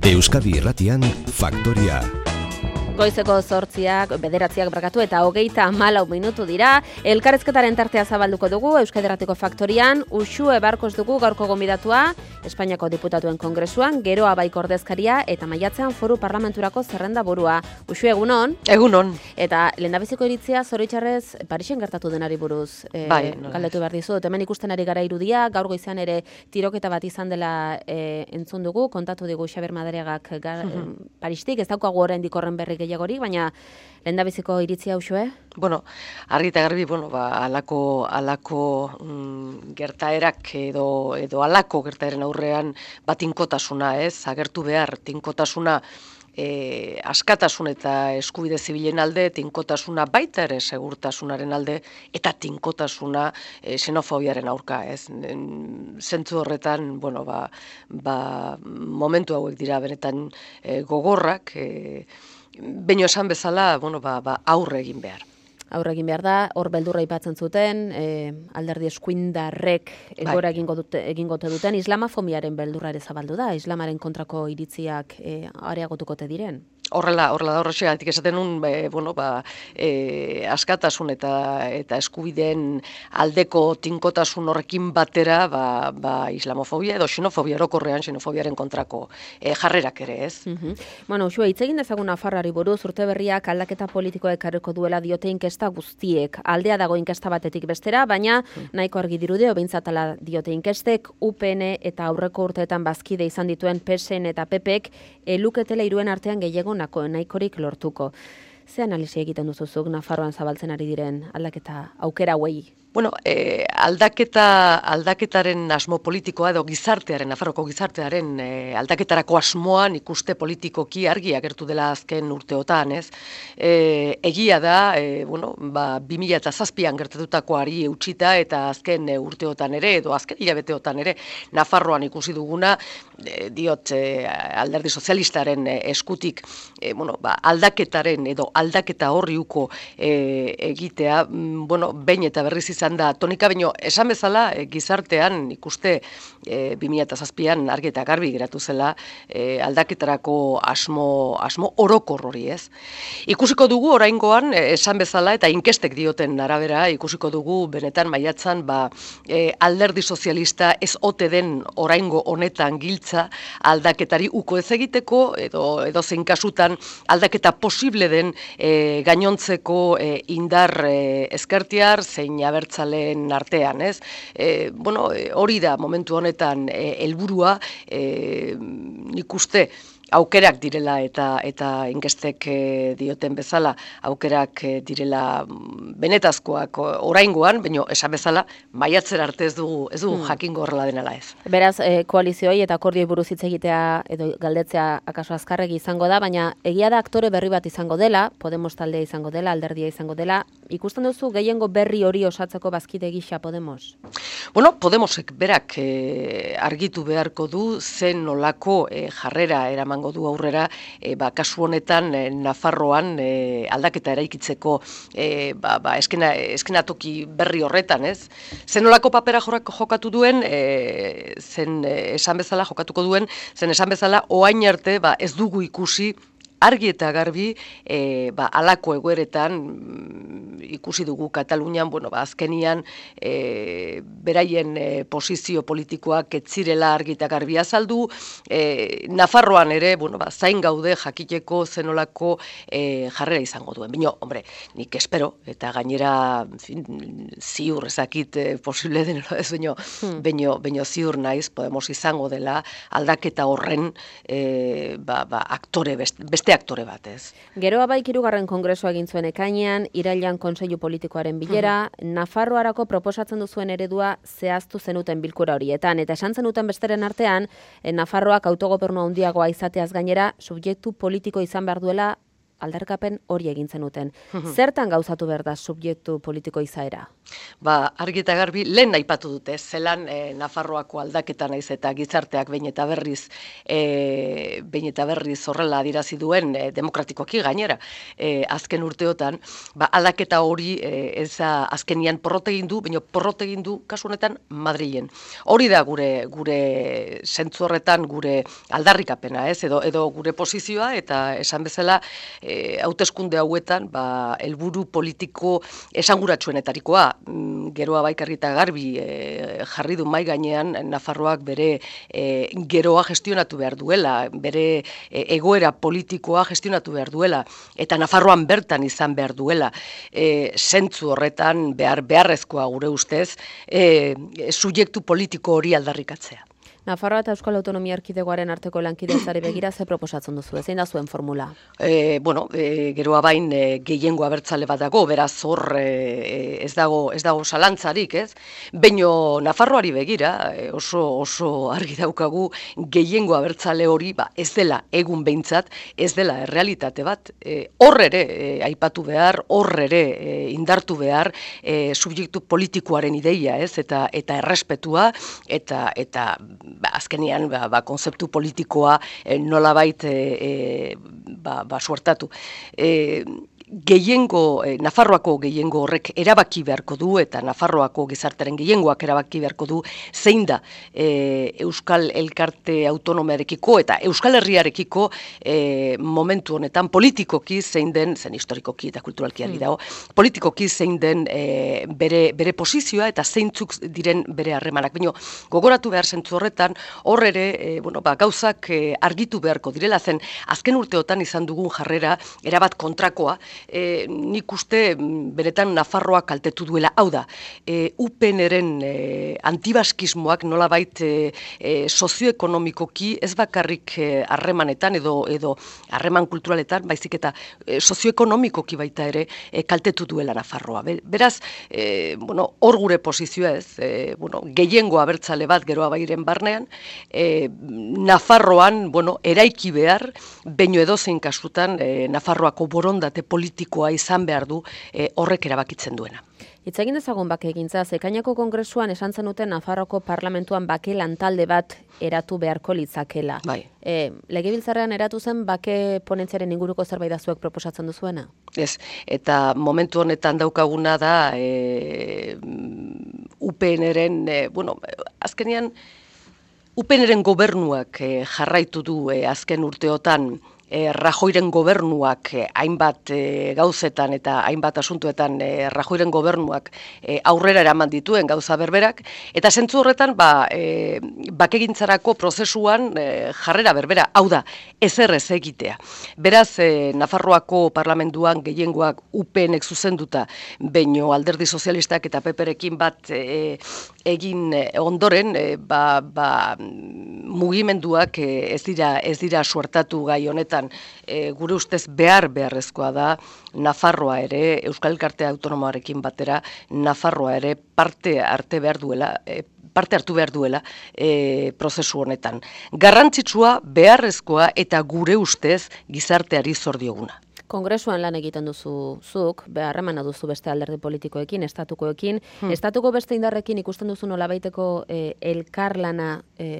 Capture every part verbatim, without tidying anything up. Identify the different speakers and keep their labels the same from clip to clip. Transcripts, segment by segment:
Speaker 1: Euskadi Irratian Faktoria.
Speaker 2: Goizeko zortziak, bederatziak brakatu eta hogeita hamalau minutu dira. Elkarrezketaren tartea zabalduko dugu Euskadi Irratiko Faktorian. Uxue Barkos dugu gaurko gonbidatua, Espainiako Diputatuen Kongresuan, Geroa Baik ordezkaria eta maiatzean Foru Parlamenturako zerrenda burua. Uxue, egunon?
Speaker 3: Egunon.
Speaker 2: Eta lehendabiziko iritzia zoritxarrez Parisen gertatu denari buruz e,
Speaker 3: bai,
Speaker 2: galdetu behar dizut. Hemen ikusten ari gara irudia, gaur goizean ere tiroketa bat izan dela e, entzun dugu, kontatu digu Xabier Madariagak gar, mm-hmm. Paristik, ez daukagu oraindik horren berri gehiagorik, baina lehendabiziko iritzia Uxue?
Speaker 3: Bueno, argi eta garbi, bueno, ba, alako, alako mm, gertaerak edo, edo alako gertaeren aurrean bat tinkotasuna, ez? Agertu behar, tinkotasuna e, askatasun eta eskubide zibilen alde, tinkotasuna baita ere segurtasunaren alde, eta tinkotasuna e, xenofobiaren aurka, ez? Zentzu horretan, bueno, ba, ba, momentu hauek dira benetan e, gogorrak, e, Baina esan bezala, bueno, ba, ba, aurre egin behar.
Speaker 2: Aurre egin behar da, hor beldurra aipatzen zuten, e, alderdi eskuindarrek egora egingo dute, egingote duten, islamafobiaren beldurra ere zabaldu da, islamaren kontrako iritziak e, areagotukote diren.
Speaker 3: Horrela, horrela da horrexegatik esaten nun, e, bueno, ba, e, askatasun eta eta eskubideen aldeko tinkotasun horrekin batera, ba, ba, islamofobia edo xenofobia orokorrean, xenofobiaren kontrako e, jarrerak ere, ez?
Speaker 2: Mm-hmm. Bueno, Uxue, hitz egin dezagun Nafarroari buruz, urte berriak aldaketa politikoek ekarriko duela diote inkesta guztiek. Aldea dago inkesta batetik bestera, baina nahiko argi dirude, obeintzat ala diote inkestek, U P N eta aurreko urteetan bazkide izan dituen P S N eta P Pek eluketela hiruen artean gehiago nahikorik lortuko. Ze analisi egiten duzuzuk Nafarroan zabaltzen ari diren aldaketa aukera hauei?
Speaker 3: Bueno, eh, aldaketa, aldaketaren asmo politikoa edo gizartearen, Nafarroko gizartearen eh, aldaketarako asmoan ikuste politikoki argi agertu dela azken urteotan, ez? Eh, egia da, eh, bueno, ba, bi mila zazpian gertatutakoari eutxita eta azken eh, urteotan ere, edo azken hilabeteotan ere, Nafarroan ikusi duguna, eh, diot eh, alderdi sozialistaren eh, eskutik, eh, bueno, ba, aldaketaren edo aldaketa horri uko eh, egitea, mm, bueno, behin eta berriz izan da tonika, baino esan bezala e, gizartean ikuste e, bi mila zazpian argi eta garbi geratu zela e, aldaketarako asmo, asmo orokor hori, ez? Ikusiko dugu oraingoan e, esan bezala eta inkestek dioten arabera ikusiko dugu benetan maiatzan ba, e, alderdi sozialista ez ote den oraingo honetan giltza aldaketari uko ez egiteko edo, edo zein kasutan aldaketa posible den e, gainontzeko e, indar e, ezkertiar zein aber Zalen artean, ez? E, bueno, hori da momentu honetan helburua, e, nik uste aukerak direla eta eta inkestek e, dioten bezala, aukerak e, direla benetazkoak oraingoan, baina esan bezala maiatzera arte ez dugu, ez dugu hmm. jakingo horrela denela ez.
Speaker 2: Beraz, e, koalizioi eta akordioi buruz hitz egitea edo galdetzea akaso azkarregi izango da, baina egia da aktore berri bat izango dela, Podemos taldea izango dela, alderdia izango dela. Ikusten duzu gehiengo berri hori osatzeko bazkide gisa Podemos?
Speaker 3: Bueno, Podemosek berak e, argitu beharko du zen nolako e, jarrera eraman du aurrera, e, ba, kasu honetan e, Nafarroan e, aldaketa eraikitzeko e, ba, ba, eskena, eskenatoki berri horretan, ez? Zenolako papera jokatu duen, e, zen e, esan bezala jokatuko duen, zen esan bezala oain arte ba, ez dugu ikusi argi eta garbi, e, ba, alako egoeretan ikusi dugu Katalunian, bueno, ba, azkenian e, beraien e, posizio politikoak ez zirela argi eta garbi azaldu, e, Nafarroan ere, bueno, ba, zain gaude jakiteko zenolako e, jarrera izango duen. Bino, hombre, nik espero, eta gainera fin, ziur ezakit e, posible den, ez baino, hmm. baino, baino ziur naiz, Podemos izango dela aldaketa horren e, ba, ba, aktore beste, beste aktore bat, ez.
Speaker 2: Geroa Baik hirugarren kongresua egin zuen ekainean, irailean kontseilu politikoaren bilera, uh-huh. Nafarroarako proposatzen duzuen eredua zehaztu zenuten bilkura horietan, eta esan zenuten besteren artean, Nafarroak autogobernu handiagoa izateaz gainera, subjektu politiko izan behar duela aldarrikapen hori egin zenuten. Zertan gauzatu behar da subjektu politiko izaera?
Speaker 3: Ba, argi eta garbi, lehen aipatu dute, zelan e, Nafarroako aldaketa naiz eta gizarteak behin eta berriz, e, behin eta berriz horrela adirazi duen e, demokratikoki gainera, e, azken urteotan, ba, aldaketa hori e, ez azkenian porrot egin du, baina porrot egin du kasu honetan Madrilen. Hori da gure gure zentzu horretan gure aldarrikapena, ez, edo edo gure posizioa, eta esan bezala e, hauteskunde hauetan, ba, helburu politiko esanguratsuenetarikoa. Geroa baikarri eta garbi e, jarri du mai gainean Nafarroak bere e, geroa gestionatu behar duela, bere e, egoera politikoa gestionatu behar duela, eta Nafarroan bertan izan behar duela. E, zentzu horretan behar beharrezkoa gure ustez, e, subjektu politiko hori aldarrikatzea.
Speaker 2: Nafarroa eta Euskal Autonomia Erkidegoaren arteko lankidetzari begira ze proposatzen duzu, zein da zuen formula?
Speaker 3: E, bueno, e, geroa bain e, gehiengo abertzale bat dago, beraz hor e, ez dago ez dago zalantzarik, ez? Baino Nafarroari begira e, oso oso argi daukagu gehiengo abertzale hori, ba, ez dela egun behintzat, ez dela errealitate bat. E, hor ere e, aipatu behar, hor ere e, indartu behar e, subjektu politikoaren ideia, ez? Eta eta errespetua eta eta ba, azkenean ba, ba, konzeptu politikoa e, nolabait e, e, ba, ba, suertatu. E, gehiengo, eh, Nafarroako gehiengo horrek erabaki beharko du, eta Nafarroako gizartaren gehiengoak erabaki beharko du, zein da eh, Euskal Elkarte Autonomearekiko eta Euskal Herriarekiko eh, momentu honetan politikoki zein den, zen historikoki eta kulturalki argi dago, politikoki zein den eh, bere, bere posizioa eta zeintzuk diren bere harremanak. Baina gogoratu behar zentzu horretan, hor ere, eh, bueno, ba, gauzak eh, argitu beharko direla, zen azken urteotan izan dugun jarrera erabat kontrakoa. E, nik uste beretan Nafarroa kaltetu duela. Hau da, e, U P N-ren e, antibaskismoak nolabait e, e, sozioekonomikoki ez bakarrik harremanetan e, edo edo harreman kulturaletan, baizik eta e, sozioekonomikoki baita ere e, kaltetu duela Nafarroa. Beraz, e, bueno, hor gure posizioa ez, e, bueno, gehiengo abertzale bat geroa bairen barnean, e, Nafarroan, bueno, eraiki behar, baino edozein kasutan e, Nafarroako borondate politikoa izan behar du e, horrek erabakitzen duena.
Speaker 2: Hitz egin dezagun bakegintza, Ekainako Kongresuan esan zenuten Nafarroko parlamentuan bake lantalde bat eratu beharko litzakela.
Speaker 3: Bai.
Speaker 2: E, Legebiltzarrean eratu zen bake ponentziaren inguruko zerbait da zuek proposatzen duzuena?
Speaker 3: Ez, eta momentu honetan daukaguna da e, U P N-ren, e, bueno, azkenean U P N-ren gobernuak e, jarraitu du e, azken urteotan E, Rajoiren gobernuak e, hainbat e, gauzetan eta hainbat asuntuetan e, Rajoiren gobernuak e, aurrera eraman dituen gauza berberak, eta zentzu horretan ba, e, bakegintzarako prozesuan e, jarrera berbera, hau da, ezer ez egitea. Beraz, e, Nafarroako parlamentuan gehiengoak U P N-ek zuzenduta, baino Alderdi Sozialistak eta P P-rekin bat e, egin ondoren, e, ba, ba, mugimenduak e, ez dira ez dira suertatu gai honetan. E, gure ustez behar beharrezkoa da Nafarroa ere, Euskal Elkarte Autonomoarekin batera, Nafarroa ere parte arte behar duela, e, parte hartu behar duela e, prozesu honetan. Garrantzitsua, beharrezkoa eta gure ustez gizarteari zor dioguna.
Speaker 2: Kongresuan lan egiten duzu zuk, beharremana duzu beste alderdi politikoekin, estatukoekin, hmm. estatuko beste indarrekin ikusten duzu nolabaiteko e, elkarlana e,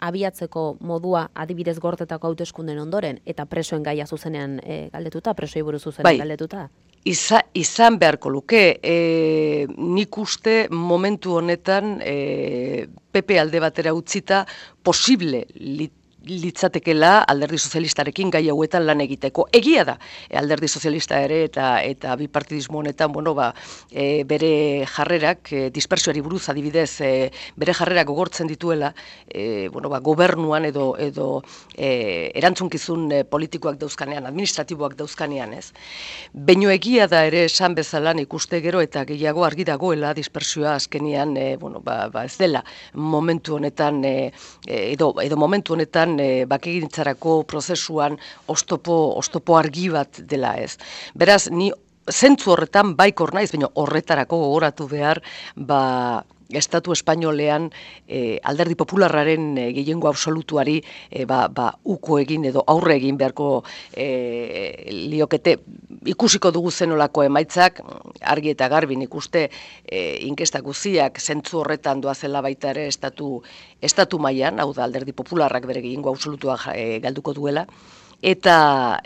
Speaker 2: abiatzeko modua adibidez gortetako hauteskunden ondoren, eta presoen gaia zuzenean e, galdetuta, presoi buruz zuzenean bai. galdetuta?
Speaker 3: Iza, izan beharko luke, e, nik uste momentu honetan e, P P alde batera utzita posible lit, litzatekela Alderdi Sozialistarekin gai hauetan lan egiteko. Egia da, Alderdi Sozialista ere eta eta bipartidismo honetan, bueno, ba, e, bere jarrerak, e, dispersioari buruz adibidez, e, bere jarrerak gogortzen dituela, e, bueno, ba, gobernuan edo edo e, erantzunkizun e, politikoak dauzkanean, administratiboak dauzkanean, ez. Baino egia da ere esan bezala ikuste gero eta gehiago argi dagoela dispersioa azkenean, e, bueno, ba, ba ez dela momentu honetan e, edo edo momentu honetan E, bakegintzarako prozesuan oztopo, oztopo argi bat dela ez. Beraz, ni zentzu horretan baikor naiz, baina horretarako gogoratu behar, ba, Estatu espainolean e, alderdi popularraren e, gehiengo absolutuari e, ba, ba, uko egin edo aurre egin beharko e, liokete. Ikusiko dugu zenolako emaitzak, argi eta garbi nik uste e, inkesta guziak zentzu horretan doazela baita ere estatu, estatu mailan, hau da alderdi popularrak bere gehiengo absolutua e, galduko duela, eta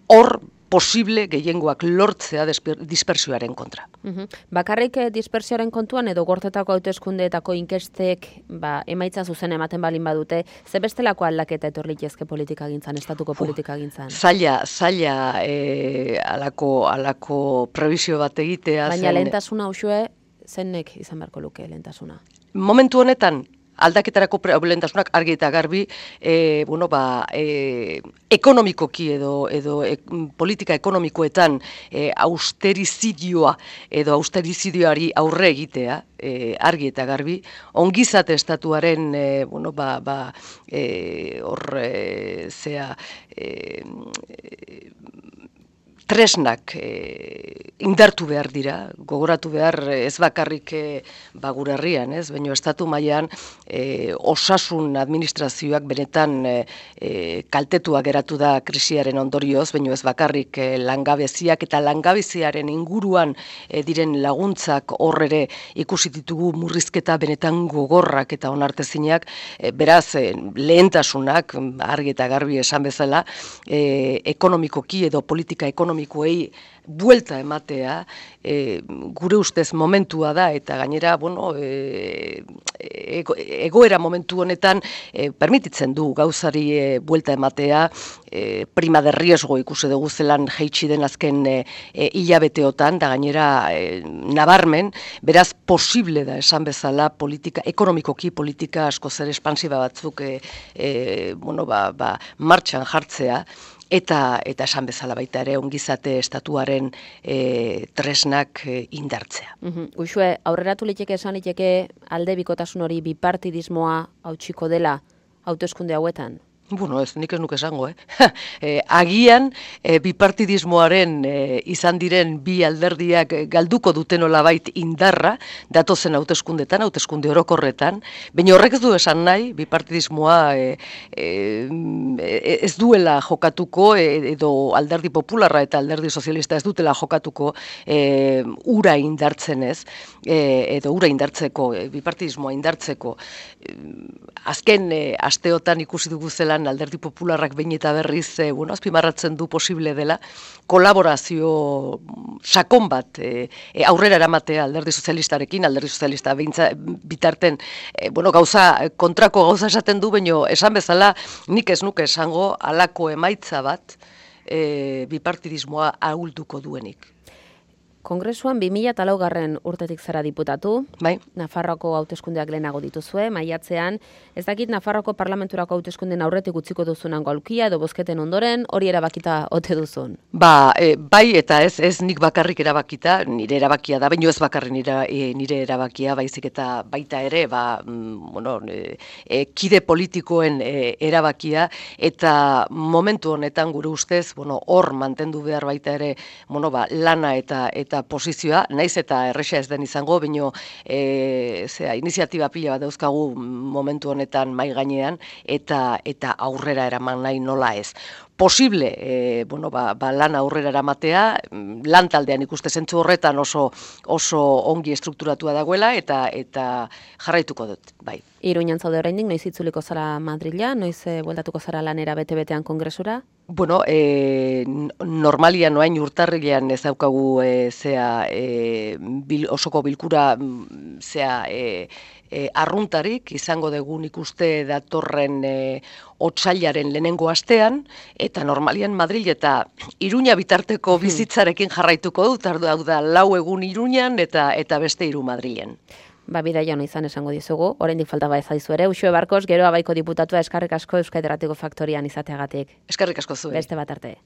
Speaker 3: hor posible gehiengoak lortzea dispersioaren kontra.
Speaker 2: Uhum. Bakarrik dispersioaren kontuan edo gortetako hauteskundeetako inkestek ba, emaitza zuzen ematen balin badute, ze bestelako aldaketa etorlitezke politika gintzan, estatuko politika gintzan?
Speaker 3: Zaila, zaila e, alako, alako prebizio bat egitea.
Speaker 2: Baina zen... lehentasuna usue, zenek izan beharko luke lehentasuna?
Speaker 3: Momentu honetan, aldaketarako lehentasunak argi eta garbi, e, bueno, ba, e, ekonomikoki edo, edo e, politika ekonomikoetan e, austerizidioa edo austerizidioari aurre egitea, e, argi eta garbi, ongizate estatuaren, e, bueno, ba, ba, e, hor, e, zea, e, tresnak e, indartu behar dira, gogoratu behar ez bakarrik e, ba, gure herrian, ez, baina estatu mailan e, osasun administrazioak benetan e, e, kaltetua geratu da krisiaren ondorioz, baina ez bakarrik e, langabeziak eta langabeziaren inguruan e, diren laguntzak hor ere ikusi ditugu murrizketa benetan gogorrak eta onartezinak, e, beraz e, lehentasunak argi eta garbi esan bezala, e, ekonomikoki edo politika ekonomikoki ekonomikoei buelta ematea, e, gure ustez momentua da, eta gainera, bueno, e, ego, egoera momentu honetan e, permititzen du gauzari e, buelta ematea, e, prima de riesgo ikusi dugu zelan jeitsi den azken e, e, hilabeteotan, da gainera e, nabarmen, beraz posible da esan bezala politika, ekonomikoki politika asko zer espansiba batzuk e, e, bueno, ba, ba, martxan jartzea, Eta, eta esan bezala baita ere ongizate estatuaren e, tresnak e, indartzea.
Speaker 2: Uhum. Uxue, aurreratu liteke esan liteke alde bikotasun hori bipartidismoa hautsiko dela hauteskunde hauetan?
Speaker 3: Bueno, ez, nik ez nuke esango, eh? e, agian, e, bipartidismoaren e, izan diren bi alderdiak galduko duten olabait indarra, datozen hauteskundetan, hauteskunde orokorretan, baina horrek ez du esan nahi, bipartidismoa e, e, ez duela jokatuko, e, edo alderdi popularra eta alderdi sozialista ez dutela jokatuko e, ura indartzen ez, e, edo ura indartzeko, e, bipartidismoa indartzeko. E, azken e, asteotan ikusi dugu zela alderdi popularrak behin eta berriz e, bueno, azpimarratzen du posible dela kolaborazio sakon bat e, e, aurrera eramatea alderdi sozialistarekin, alderdi sozialista behintza, bitarten e, bueno, gauza, kontrako gauza esaten du, baino esan bezala nik ez nuke esango halako emaitza bat e, bipartidismoa ahulduko duenik.
Speaker 2: Kongresuan bi mila laugarren urtetik zara diputatu,
Speaker 3: bai.
Speaker 2: Nafarroako hauteskundeak lehenago dituzue, maiatzean, ez dakit Nafarroako parlamenturako hauteskunden aurretik utziko duzunan golkia edo bozketen ondoren, hori erabakita ote duzun?
Speaker 3: Ba, e, bai eta ez, ez nik bakarrik erabakita, nire erabakia da, baino ez bakarrik nire, e, nire erabakia, baizik eta baita ere, ba, mm, bueno, e, e, kide politikoen e, erabakia, eta momentu honetan gure ustez, bueno, hor mantendu behar baita ere, bueno, ba, lana eta eta posizioa, naiz eta erresa ez den izango, baino e, zera, iniziatiba pila bat dauzkagu momentu honetan mai gainean, eta eta aurrera eraman nahi nola ez. Posible, e, bueno, ba, ba lan aurrera eramatea, lan taldean ikuste zentzu horretan oso oso ongi estrukturatua dagoela, eta eta jarraituko dut, bai.
Speaker 2: Iruñan zaude oraindik, noiz itzuliko zara Madrila, noiz e, bueltatuko zara lanera bete-betean kongresura?
Speaker 3: Bueno, e, normalian oain urtarrilean ez daukagu e, zea, e, bil, osoko bilkura zea, e, e, arruntarik, izango dugun ikuste datorren e, otsailaren lehenengo astean, eta normalian Madril eta Iruña bitarteko bizitzarekin jarraituko dut, hau da lau egun Iruñan eta eta beste hiru Madrilen.
Speaker 2: Ba, bidaia hona izan esango dizugu, oraindik falta ba ezaizu ere. Uxue Barkos, gero abaiko diputatua eskarrik asko Euskadi Irratiko Faktorian izateagatik.
Speaker 3: Eskarrik asko zuen.
Speaker 2: Beste bat arte.